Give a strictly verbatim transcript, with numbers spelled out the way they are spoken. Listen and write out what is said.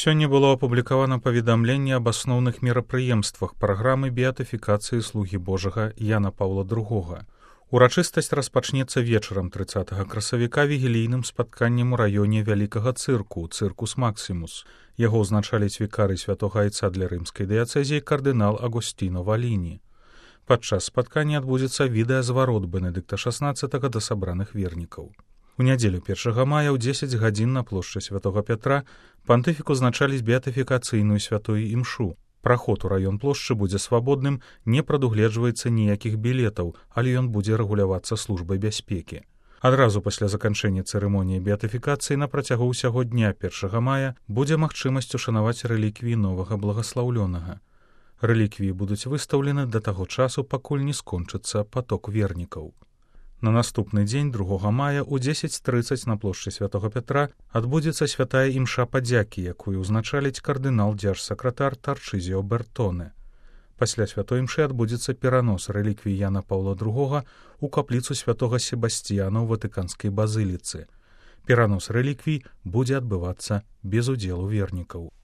Сёння было апублікавана паведамленне аб асноўных мерапрыемствах праграмы беатыфікацыі слугі Божага Яна Паўла другога. Урачыстасць распачнецца вечарам трыццатага красавіка вігілійным спатканнем у раёне вялікага цырку, цыркус Максімус. Яго ўзначаліць вікарый святога айца для рымскай дыяцэзіі кардынал Агусціно Валіні. Падчас спаткання адбудзецца відэазварот Бенедыкта шаснаццатага да сабраных вернікаў. У нядзелю першага мая ў дзесяць гадзін на плошчы святога Пятра пантыфік узначаліць беатыфікацыйную святую імшу. Праход у раён плошчы будзе свабодным, не прадугледжваецца ніякіх білетаў, але ён будзе рэгулявацца службай бяспекі. Адразу пасля заканчэння цырымоніі беатыфікацыі на працягу ўсяго дня першага мая будзе магчымасць ушанаваць рэліквіі новага благаслаўлёнага. Рэліквіі будуць выстаўлены да таго часу, пакуль не скончыцца паток вернікаў. На наступны дзень другога мая ў дзесяць трыццаць на плошчы святога Пятра адбудзецца святая імша падзякі, якую ўзначаліць кардынал дзяржсакратар Тарчызіо Бертоне. Пасля святой імшы адбудзецца перанос рэліквій Яна Паўла другога у капліцу святога Себасціяна ў ватыканскай базыліцы. Перанос рэліквій будзе адбывацца без удзелу вернікаў.